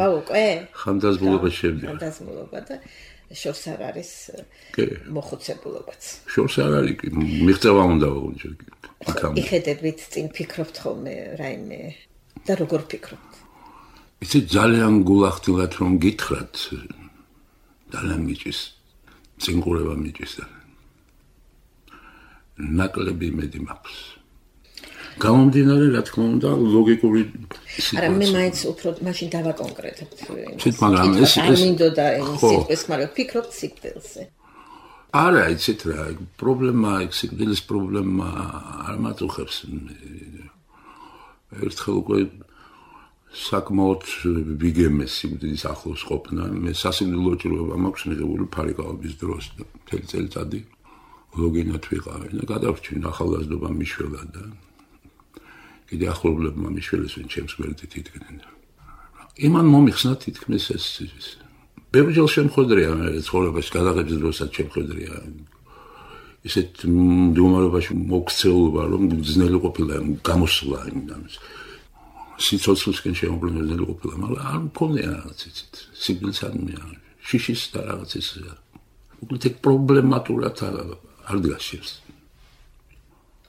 Speaker 3: ხანდაზმულობაში შევდივარ.
Speaker 4: ხანდაზმულობა და შორს არ არის მოხუცებულობაც.
Speaker 3: შორს არ არის კი, მიღწევა უნდა ვაუჩო.
Speaker 4: იხედებით წინ ფიქრობთ ხოლმე რაიმე და როგორ ფიქრობთ?
Speaker 3: იცი ძალიან გულახდილად რომ გითხრათ, ძალიან მიჭის. წინყურება მიჭის და ნაკლები მედი მაქვს. გამომდინარე, რა თქმა უნდა, ლოგიკური სიტუაცია.
Speaker 4: არა, მე მაინც უფრო მაშინ დავაკონკრეტებთ.
Speaker 3: ცით, მაგრამ ეს
Speaker 4: ეს მინდოდა ის სიტყვის, მაგრამ ფიქრობთ სიკვდილზე.
Speaker 3: არა, იცით რა, პრობლემა, ეგ სიკვდილის პრობლემა არ მაწუხებს. ერთხელ უკვე საკმაოდ ვიგემეს სიკვდილის ახლოს ყოფნა. მე სასიკვდილო ჭრილობა მაქვს მიღებული ფარიკაობის დროს და მთელი წელიწადი ლოგინად ვიყავი და გადავრჩინ ახალგაზრდობა მიშველა და კიდე ახლობლებმა მიშველეს ვინ ჩემს გვერდით იდგნენ. იმან მომიხსნა თითქმის ეს ბევრჯერ შემხედრია მე ცხოვრებაში გადაღების დროსაც შემხედრია ისეთ მდგომარეობაში მოქცეულობა რომ ძნელი ყოფილა გამოსვლა იმდან სიცოცხლისკენ შემობრუნებული ყოფილა, მაგრამ არ მქონია რაღაც იცით. სიკვდილსადმი შიშის და რაღაც ის უბრალოდ ეგ პრობლემატურად არ დგაშებს.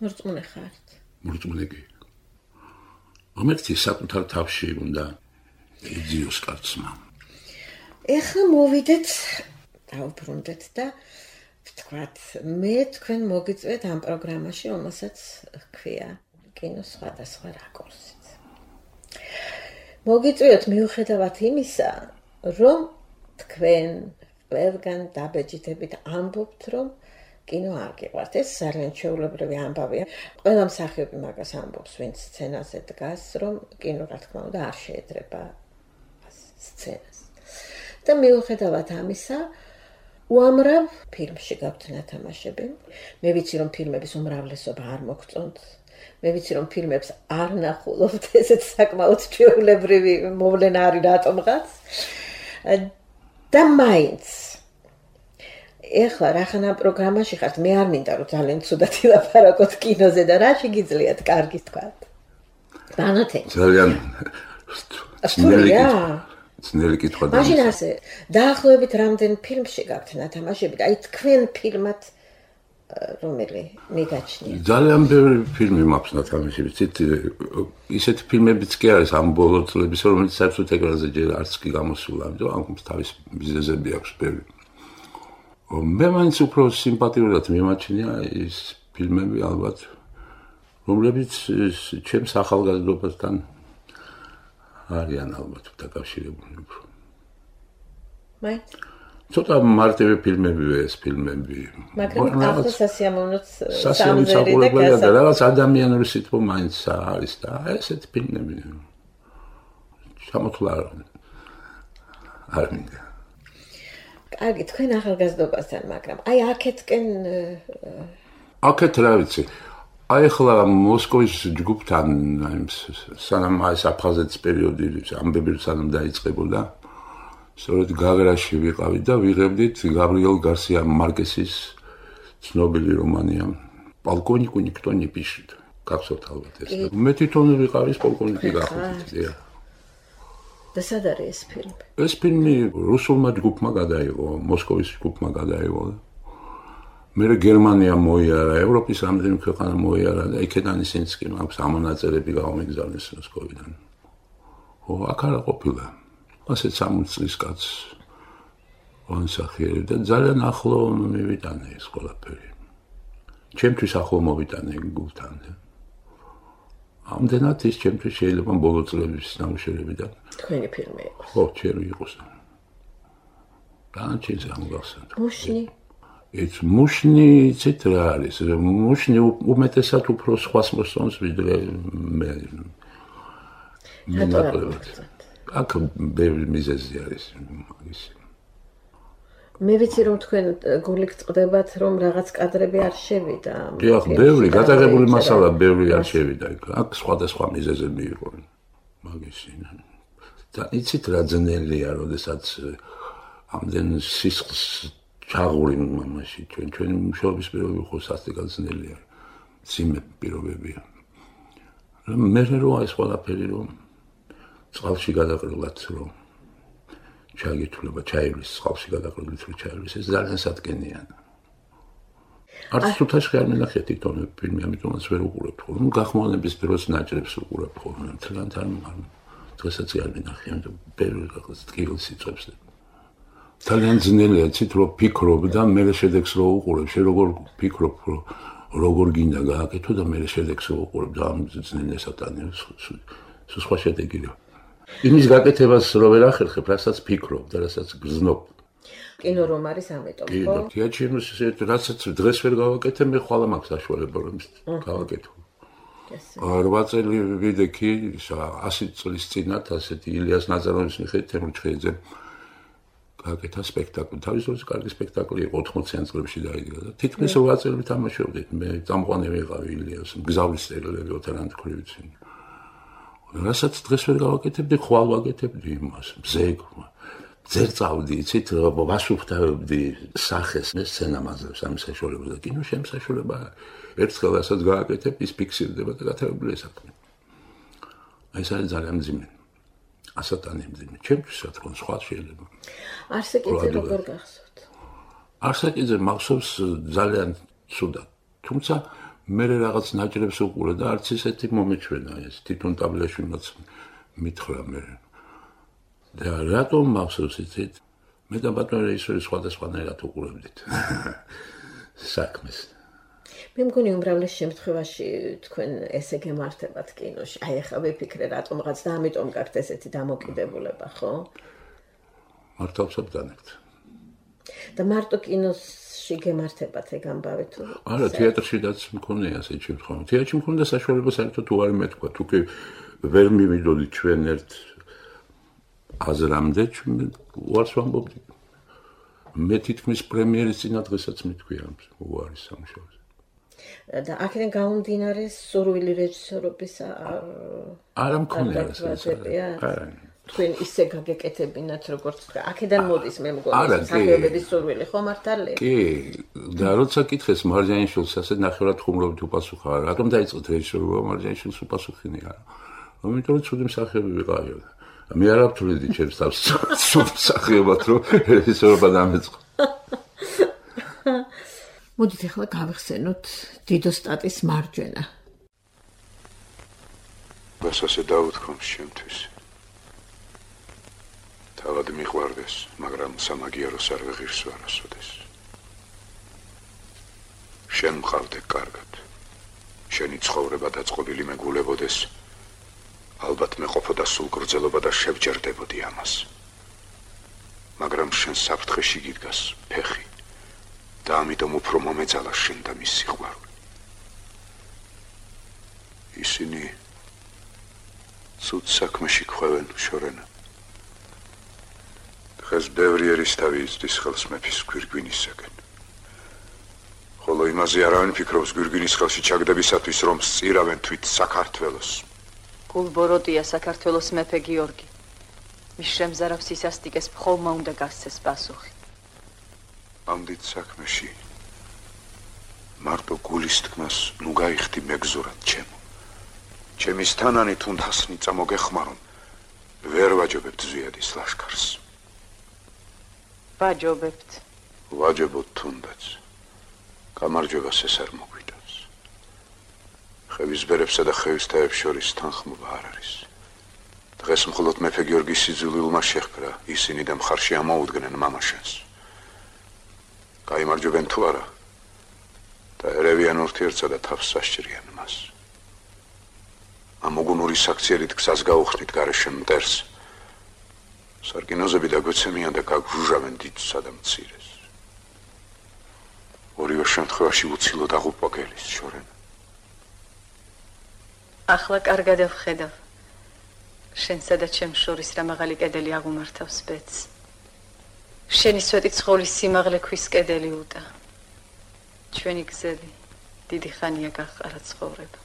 Speaker 4: მორწმუნე ხართ?
Speaker 3: მორწმუნე კი. ამერტი საკუთარ თავში უნდა იძიოს კაცმა.
Speaker 4: ეხლა მოვიდეთ, დავუბრუნდეთ და ვთქვათ, მე თქვენ მოგიწვიეთ ამ პროგრამაში, რომელსაც ჰქვია კინო სხვადასხვა რაკურსი. მოგიწვიოთ მიუხედავად იმისა, რომ თქვენ ყველგან დაბეჭდებით ამბობთ, რომ კინო არ გიყვართ. ეს ძალიან ჩვეულებრივი ამბავია. ყველა მსახიობი მაგას ამბობს, ვინც სცენაზე დგას, რომ კინო რა თქმა უნდა არ შეედრება სცენას. და მიუხედავად ამისა, უამრავ ფილმში გაქვთ ნათამაშები. მე ვიცი, რომ ფილმების უმრავლესობა არ მოგწონთ. მე ვიცი რომ ფილმებს არ ნახულობთ, ესეც საკმაოდ ჩვეულებრივი მოვლენა არის რატომღაც. და მაინც ეხლა რახან ამ პროგრამაში ხართ, მე არ მინდა რომ ძალიან ცუდად ილაპარაკოთ კინოზე და რა შეგიძლიათ კარგი თქვათ. ბანათე.
Speaker 3: ძალიან ძნელი კითხვა და
Speaker 4: მაშინ ასე დაახლოებით რამდენ ფილმში გაქვთ ნათამაშები და აი თქვენ ფილმად რომელი მიგაჩნია?
Speaker 3: ძალიან ბევრი ფილმი მაქვს ნათამაშები. ცით ისეთი ფილმებიც კი არის ამ ბოლო წლების, რომელიც საერთოდ ეკრანზე ჯერ არც კი გამოსულა, ამიტომ ამ თავის მიზეზები აქვს ბევრი. მე მაინც უფრო სიმპათიურად მიმაჩნია ის ფილმები ალბათ, რომლებიც ჩემს ახალგაზრდობასთან არიან ალბათ დაკავშირებული უფრო.
Speaker 4: მაინც
Speaker 3: ცოტა მარტივი ფილმებია ეს ფილმები.
Speaker 4: მაგრამ ახლა სასიამოვნოც
Speaker 3: სამზერია და რაღაც ადამიანური სიტყვა მაინც არის და ესეთი ფილმები. ჩამოთვლა არ მინდა.
Speaker 4: კარგი, თქვენ ახალგაზრდობასთან, მაგრამ აი აქეთკენ
Speaker 3: აქეთ რა ვიცი. აი ახლა მოსკოვის ჯგუფთან სანამ ეს აფხაზეთის პერიოდი ამბები სანამ დაიწყებოდა სწორედ გაგრაში ვიყავით და ვიღებდით გაბრიელ გარსია მარკესის ცნობილი რომანია პოლკოვნიკუ ნიქტო не пишет. გახსოვთ ალბათ ეს. მე თვითონ ვიყავის პოლკოვნიკი გახსოვთ.
Speaker 4: და სად არის ეს ფილმი?
Speaker 3: ეს ფილმი რუსულმა ჯგუფმა გადაიღო, მოსკოვის ჯგუფმა გადაიღო. მე გერმანია მოიარა, ევროპის რამდენი ქვეყანა მოიარა და იქედან ისინიც კი მაქვს ამონაწერები გამიგზავნეს მოსკოვიდან. ო, აქ არა ყოფილა. ასეთ სამოცი წლის კაცს ვანსახიერე და ძალიან ახლო მივიტანე ეს ყველაფერი. ჩემთვის ახლო მოვიტანე გულთან. ამდენად ის ჩემთვის შეიძლება ბოლო წლების ნამუშევრებიდან.
Speaker 4: თქვენი ფილმი იყო.
Speaker 3: ხო, ჩემი იყოს. განაჩენს ამგახსენდა.
Speaker 4: მუშნი.
Speaker 3: ეს მუშნი ცით რა არის? მუშნი უმეტესად უფრო სხვას მოსწონს ვიდრე მე. აქ ბევრი მიზეზი არის მაგის.
Speaker 4: მე ვიცი რომ თქვენ გული გწყდებათ რომ რაღაც კადრები არ შევიდა.
Speaker 3: დიახ, ბევრი გადაღებული მასალა ბევრი არ შევიდა იქ. აქ სხვადასხვა მიზეზები იყო მაგის. და იცით რა ძნელია, როდესაც ამდენ სისხლს ჩაღურინ მამაში ჩვენ ჩვენ მშობლის პირობები ხო სასტიკად ძნელია. ძიმე პირობებია. მე რო ეს ყველაფერი რომ წყალში გადაყრილად რომ ჩაგითვლება ჩაივლის წყალში გადაყრილით რომ ჩაივლის ეს ძალიან სადგენია. არც თუთაშხი არ მინახეთ თვითონ ფილმი ამიტომაც ვერ უყურებთ ხოლმე. ნუ გახმოვანების დროს ნაჭრებს უყურებთ ხოლმე. მთლიანად არ დღესაც არ მინახე ამ ბევრი რაღაც ტკივილს იწვევს. ძალიან ძნელია ცით რომ ფიქრობ და მე შედეგს რო უყურებ შე როგორ ფიქრობ რომ როგორ გინდა გააკეთო და მე შედეგს რო უყურებ და ამ ძნელია სატანია სულ სხვა შედეგია. იმის გაკეთებას რო ვერ ახერხებ, რასაც ფიქრობ და რასაც გრძნობ.
Speaker 4: კინო რომ არის ამიტომ, ხო?
Speaker 3: კი, თეატრში რასაც დღეს ვერ გავაკეთებ, მე ხვალ მაქვს საშუალება რომ გავაკეთო. რვა წელი ვიდექი, ასი წლის წინათ ასეთი ილიას ნაზაროვის მიხედვით თემურ ჩხეიძე გააკეთა სპექტაკლი. თავის დროზე კარგი სპექტაკლი იყო, ოთხმოციან წლებში დაიდგა და თითქმის რვა წელი ვთამაშობდით. მე წამყვანი ვიყავი ილიას, მგზავრის წერილები ოთარანთ ქრივიცი. რასაც დღეს ვერ გავაკეთებდი, ხვალ ვაკეთებდი იმას, ბზეგ. ძერ წავდი, იცით, ვასუფთავებდი სახეს, მე სცენამაზებს ამ საშუალებას და კინო შემსაშულება. ერთხელ რასაც გააკეთებ, ის ფიქსირდება და გათარებულია საქმე. აი ეს არის ძალიან მძიმე. ასატანი მძიმე. ჩემთვის რა თქმა უნდა, სხვა შეიძლება.
Speaker 4: არსაკიძე როგორ გახსოვთ?
Speaker 3: არსაკიძე მახსოვს ძალიან ცუდად. თუმცა მე რაღაც ნაჭრებს უყურე და არც ისეთი მომეჩვენა ეს თვითონ ტაბლაშვილმაც მითხრა მე. და რატომ მახსოვს იცით? მე და ბატონი რეჟისორი სხვადასხვანაირად უყურებდით საქმეს.
Speaker 4: მე მგონი უმრავლეს შემთხვევაში თქვენ ესე გემართებათ კინოში. აი ახლა ვიფიქრე რატომღაც და ამიტომ გაქვთ ესეთი დამოკიდებულება, ხო?
Speaker 3: მართალსაც განაგთ.
Speaker 4: და მარტო კინოში გემართებათ ეგ ამბავი თუ?
Speaker 3: არა, თეატრშიც მქონია ასეთი შემთხვევა. თეატრში მქონდა საშუალება საერთოდ თუ არ მეთქვა, თუ კი ვერ მივიდოდით ჩვენ ერთ აზრამდე, ჩვენ უარს ვამბობდი. მე თითქმის პრემიერის წინა დღესაც მithქვია ამ უარის სამუშაოზე.
Speaker 4: და აქედან გამომდინარე სურვილი რეჟისორობის არ
Speaker 3: არა მქონია ეს.
Speaker 4: არა. თქვენ ისე გაგეკეთებინათ როგორც თქვა. აქედან მოდის მე მგონი სახეობების სურვილი ხო მართალია?
Speaker 3: კი, და როცა კითხეს მარჯანიშვილს ასე ნახევრად ხუმრობით უპასუხა, რატომ დაიწყეთ რეჟისორობა მარჯანიშვილს უპასუხინი არა. ამიტომ რომ ცუდი მსახიობი ვიყავი. მე არ ვთვლიდი ჩემს თავს ცუდ მსახიობად რომ რეჟისორობა დამეწყო.
Speaker 2: მოდით ახლა გავიხსენოთ დიდოსტატის მარჯვენა.
Speaker 5: გასასე დავუთქვამს ჩემთვის. თავად მიყვარდეს, მაგრამ სამაგიეროს არ ვეღირს არასოდეს. შენ მყავდე კარგად. შენი ცხოვრება დაწყობილი მეგულებოდეს. ალბათ მე ყოფოდა სულ გრძელობა და შევჯერდებოდი ამას. მაგრამ შენ საფრთხეში გიდგას ფეხი. და ამიტომ უფრო მომეძალა შენ და მის სიყვარული. ისინი ცუდ საქმეში ხვევენ შორენა. დღეს ბევრი ერისთავი იცდის ხელს მეფის გვირგვინისაგან. ხოლო იმაზე არავინ ფიქრობს გვირგვინის ხელში ჩაგდებისათვის, რომ სწირავენ თვით საქართველოს.
Speaker 6: გულბოროტია საქართველოს მეფე გიორგი. მის შემზარავ სისასტიკეს მხოლმა უნდა გასცეს პასუხი.
Speaker 5: ამ დიდ საქმეში მარტო გულის თქმას ნუ გაიხდი მეგზურად ჩემო. ჩემის თანანი თუნდასნი წამოგეხმარონ, ვერ ვაჯობებთ ზვიადის ლაშქარს.
Speaker 6: ვაჯობებთ.
Speaker 5: ვაჯობოთ თუნდაც. გამარჯვებას ეს არ მოგვიტანს. ხევის ბერებსა და ხევის თაებს შორის თანხმობა არ არის. დღეს მხოლოდ მეფე გიორგის სიძულვილმა შეჰკრა, ისინი და მხარში ამოუდგნენ მამაშენს. გაიმარჯვებენ თუ არა და ერევიან ურთიერთსა და თავს სასჭირიან მას. ამ უგუნური საქციელით გზას გაუხსნით გარეშე მტერს სარკინოზები დაგვეცემიან და გაგჟუჟავენ დიდსა და მცირეს. ორივე შემთხვევაში უცილოდ აღუპვა გელის შორენა.
Speaker 6: ახლა კარგად ვხედავ. შენსა და ჩემს შორის რა მაღალი კედელი აღუმართავს ბედს. შენი სვეტი ცხოვლის სიმაღლე ქვის კედელი უტა. ჩვენი გზები დიდი ხანია გაყარა ცხოვრება.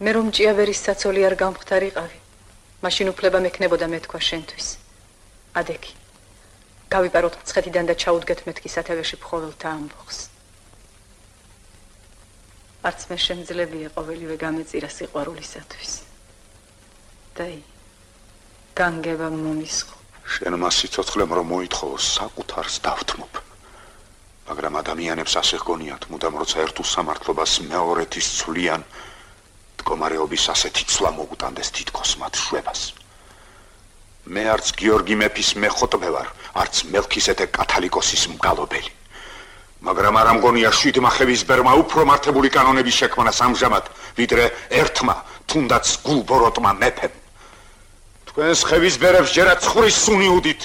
Speaker 6: მე რომ ჭიაბერის საცოლი არ გამختარიყავი, მაშინ უფლება მექნებოდა მეთქვა შენთვის. ადექი. გავიპაროთ მცხეთიდან და ჩაუდგეთ მეთქი სათავეში ფხოველთა ამბოხს. არც მე შემძლებია ყოველივე გამეწირა სიყვარულისათვის. დაი, განგება მომისხო.
Speaker 5: შენ მას სიცოცხლემ რომ მოითხოვოს საკუთარს დავთმობ. მაგრამ ადამიანებს ასე ჰგონიათ, მუდამ როცა ერთ უსამართლობას მეორეთის ცვლიან, მდგომარეობის ასეთი ცვლა მოუტანდეს თითქოს მათ შვებას. მე არც გიორგი მეფის მეხოტბე ვარ, არც მელქისედე კათალიკოსის მგალობელი. მაგრამ არ ამგონია შვიდმა ხევისბერმა უფრო მართებული კანონების შექმნას ამჟამად, ვიდრე ერთმა, თუნდაც გულბოროტმა მეფემ. თქვენს ხევისბერებს ჯერაც ხურის სუნი უდით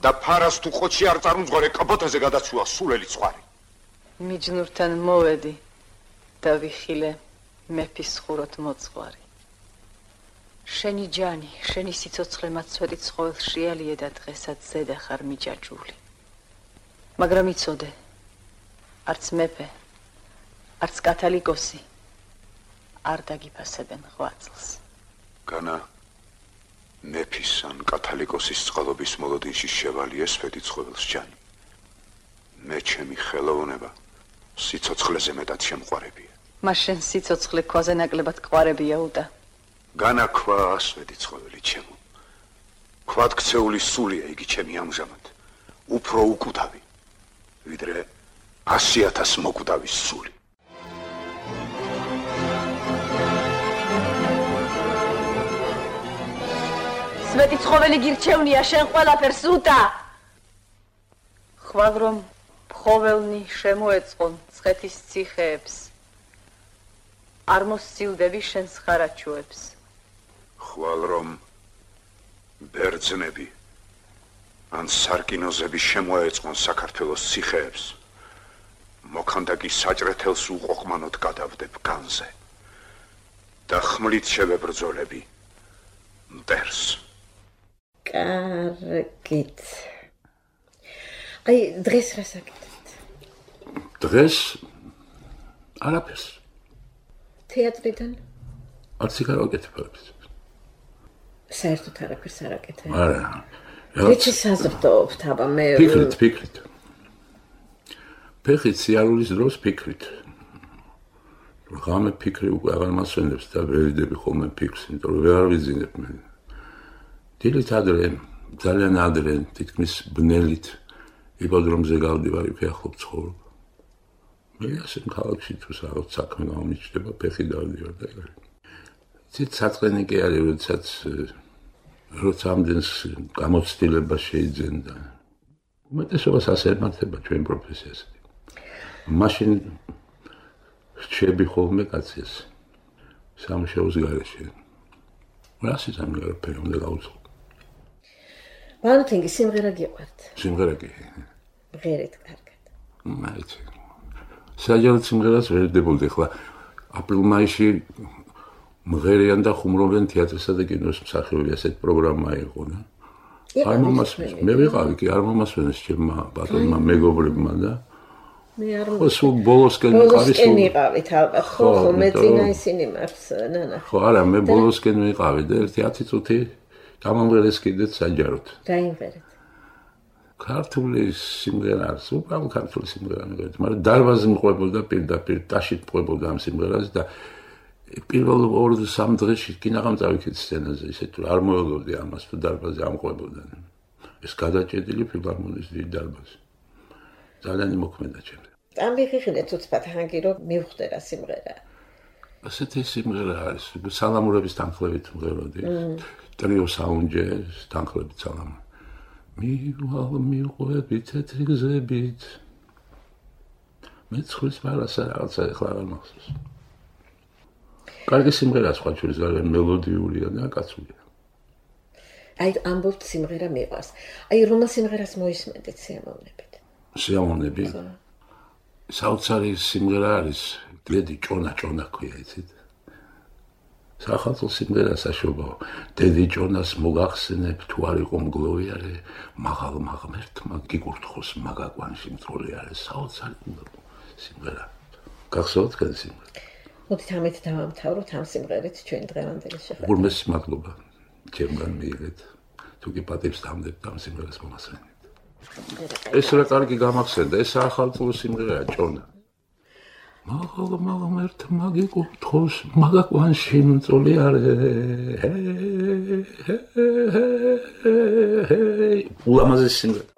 Speaker 5: და ფარას თუ ხოჩი არ წარმძღვარე კაბოთაზე გადაცუა სულელი ცხარი.
Speaker 6: მიჯნურთან მოვედი და ვიხილე მეფის ხუროთ მოწყwari. შენი ჯანი, შენი სიცოცხლე მაცვედი ცხოველს შეალიე და დღესაც ზედა ხარ მიჯაჭვული. მაგრამ იცოდე, არც მეფე, არც კათალიკოსი არ დაგიფასებენ ღვაწლს.
Speaker 5: განა მეფის ან კათალიკოსის წყალობის მოლოდინში შევალიე სვეტი ცხოველს ჯანი. მე ჩემი ხელოვნება სიცოცხლეზე მეტად შემყვარებია.
Speaker 6: მას შენ სიცოცხლე ქვაზე ნაკლებად ყვარებია უტა.
Speaker 5: განა ქვა სვეტი ცხოველი ჩემო. ქვად ქცეული სულია იგი ჩემი ამჟამად. უფრო უკვდავი, ვიდრე ასი ათას მოკვდავის სული.
Speaker 6: სვეტი ცხოველი გირჩევნია შენ ყველაფერს უტა. ხვალ რომ ფხოველნი შემოეწყონ ცხეთის ციხეებს, არ მოსცილდები შენს ხარაჩუებს.
Speaker 5: ხვალ რომ ბერძნები ან სარკინოზები შემოეწყონ საქართველოს ციხეებს, მოქანდაკი საჭრეთელს უყოყმანოდ გადავდებ განზე და ხმლით შევებრძოლები მტერს.
Speaker 4: კარგით. აი, დღეს რა საკეთებთ?
Speaker 3: დღეს არაფერს.
Speaker 4: თეატრიდან?
Speaker 3: არც იქ არ ვაკეთებ.
Speaker 4: საერთოდ არაფერს არ აკეთებ?
Speaker 3: არა.
Speaker 4: რითი საზრდოობთ, აბა მე
Speaker 3: ფიქრით, ფიქრით. ფიქრით სიარულის დროს ფიქრით. რამე ფიქრი უკვე აღარ მასვენებს და ვერიდები ხოლმე ფიქრს, იმიტომ რომ ვერ ვიზინებ მე. დილით ადრე, ძალიან ადრე, თითქმის ბნელით იპოდრომზე გავდივარ, იქ ახლობ ცხოვრობ. მე ასე ქალაქში თუ რაღაც საქმე გამიჩნდება, ფეხი დავდივარ და ეგრე. ცით საწყენი კი არის, როდესაც როცა ამდენს გამოცდილება შეიძლება და უმეტესობას ასე ემართება ჩვენ პროფესიას. მაშინ რჩები ხოლმე კაცის სამშეოს გარეშე. რასი სამგარაფერი უნდა გავუწყო.
Speaker 4: ბანთინგი სიმღერა გიყვართ?
Speaker 3: სიმღერა კი.
Speaker 4: ღერეთ კარგად.
Speaker 3: მაიც. საჯაროდ სიმღერას ვერ დებოდი ხლა აპრილ-მაისში მღერიან და ხუმრობენ თეატრსა და კინოს მსახიობები, ასეთ პროგრამა იყო და არ მომასვენეს. მე ვიყავი კი არ მომასვენეს ჩემმა ბატონმა მეგობრებმა და
Speaker 4: მე არ
Speaker 3: სულ ბოლოსკენ ვიყავი
Speaker 4: სულ ვიყავით ალბათ ხო ხო მე წინა ისინი მარს ნანა
Speaker 3: ხო არა მე ბოლოსკენ ვიყავი და ერთი ათი წუთი გამომღერეს კიდეც საჯაროდ
Speaker 4: დაიმღერეთ
Speaker 3: ქართული სიმღერა არის უბრალოდ ქართული სიმღერა მეგობრებო მაგრამ დარბაზი მყვებოდა პირდაპირ ტაშით მყვებოდა ამ სიმღერას და პირველ ორ სამ დღეში კინაღამ წავიქეთ სცენაზე ისე თუ არ მოელოდი ამას თუ დარბაზი ამყვებოდა ეს გადაჭედილი ფილარმონიის დიდი დარბაზი ძალიან მოქმედა ჩემს
Speaker 4: ამ ვიხილეთ უცბად ჰანგი რომ მივხვდე რა სიმღერა
Speaker 3: ასეთი სიმღერა არის სალამურების თანხლებით მღეროდი ტრიო საუნჯე თანხლებით სალამ მივალ მიყვები თეთრი გზებით მე ცხვრის მარასა რაღაცა ეხლა არ მახსოვს კარგი სიმღერაა სხვა შორის ძალიან მელოდიურია და კაცულია
Speaker 4: აი ამბობთ სიმღერა მიყვარს. აი რომელ სიმღერას მოისმენთ სიამოვნებით?
Speaker 3: სიამოვნები? საოცარი სიმღერა არის, დედი ჭონა ჭონა ქვია, იცით? სახალხო სიმღერა საშობაო. დედი ჭონას მოგახსენებ, თუ არ იყო მგლოვიარე, მაღალ მაღმერთმა გიკურთხოს მაგაკვანში მწოლიარე, საოცარი სიმღერა. გახსოვთ კენ სიმღერა?
Speaker 4: მოდით ამით დავამთავროთ ამ სიმღერით ჩვენ დღევანდელი შეხვედრა.
Speaker 3: უღრმეს მადლობა ჩემგან მიიღეთ. თუ კი პატივს დამდებთ ამ სიმღერას მომასვენებთ. ეს რა კარგი გამახსენდა, ეს ახალწლო სიმღერაა ჭონა. მაღალ მაღმერთმა გიკურთხოს მაგაკვანში მწოლიარე. ულამაზესი სიმღერა.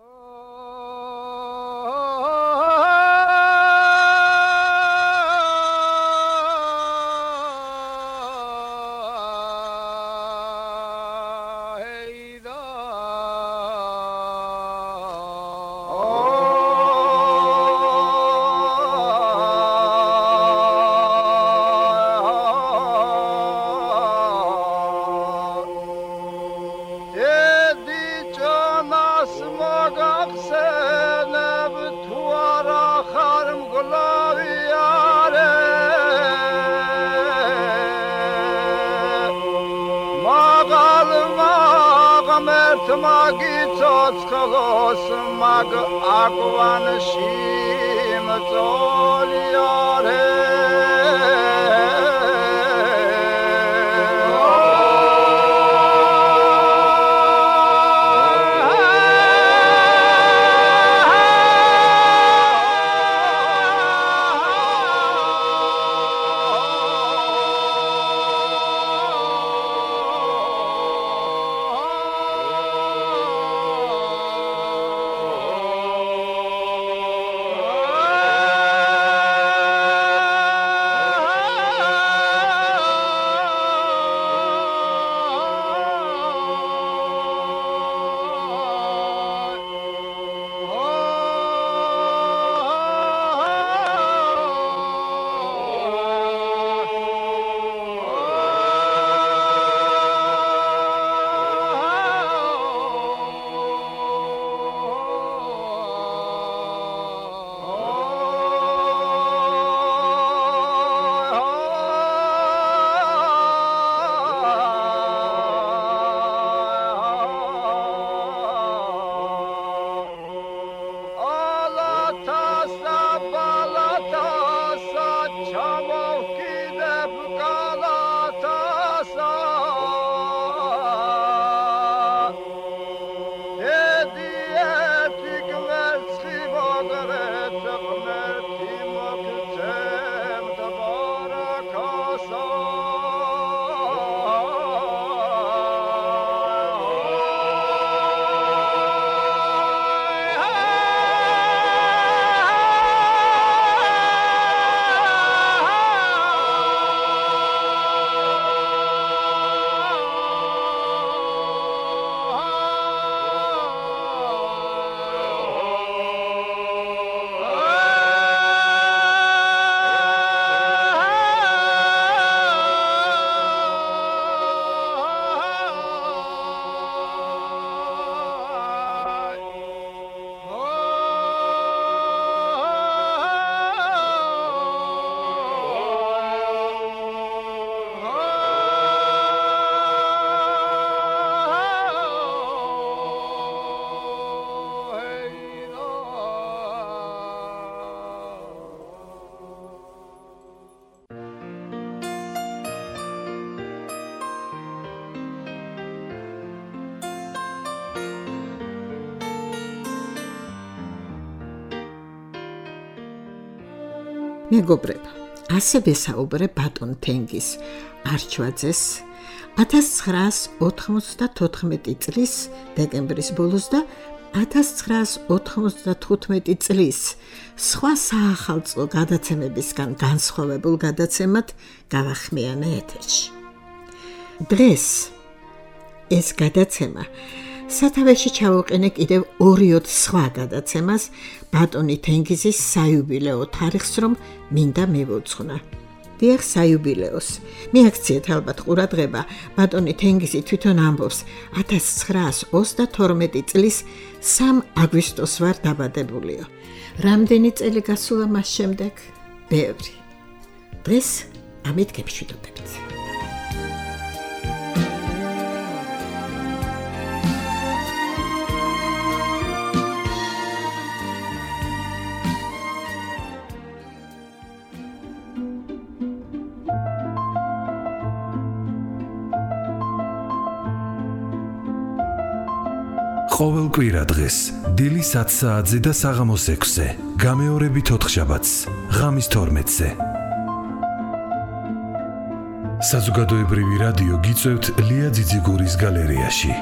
Speaker 3: Mag akwan shim tzoliare
Speaker 2: მეგობრებო, ასევე საუბრე ბატონ თენგიზ არჩვაძეს ათას ცხრაას ოთხმოცდათოთხმეტი წლის დეკემბრის ბოლოს და ათას ცხრაას ოთხმოცდათხუთმეტი წლის სხვა საახალწლო გადაცემებისგან განსხვავებულ გადაცემად გავახმიანე ეთერში. დღეს ეს გადაცემა სათავეში ჩავუყენე კიდევ ორიოდ სხვა გადაცემას ბატონი თენგიზის საიუბილეო თარიღს, რომ მინდა მივუძღვნა. დიახ საიუბილეოს. მიაქციეთ ალბათ ყურადღება, ბატონი თენგიზი თვითონ ამბობს, ათას ცხრაას ოცდათორმეტი წლის სამ აგვისტოს ვარ დაბადებულიო. რამდენი წელი გასულა მას შემდეგ? ბევრი. დღეს ამით გეფშვიდობებით.
Speaker 7: ყოველ კვირა დღეს დილის ათ საათზე და საღამოს ექვსზე, გამეორებით ოთხშაბათს, ღამის თორმეტზე. საზოგადოებრივი რადიო გიწევთ ლია ძიძიგურის გალერეაში.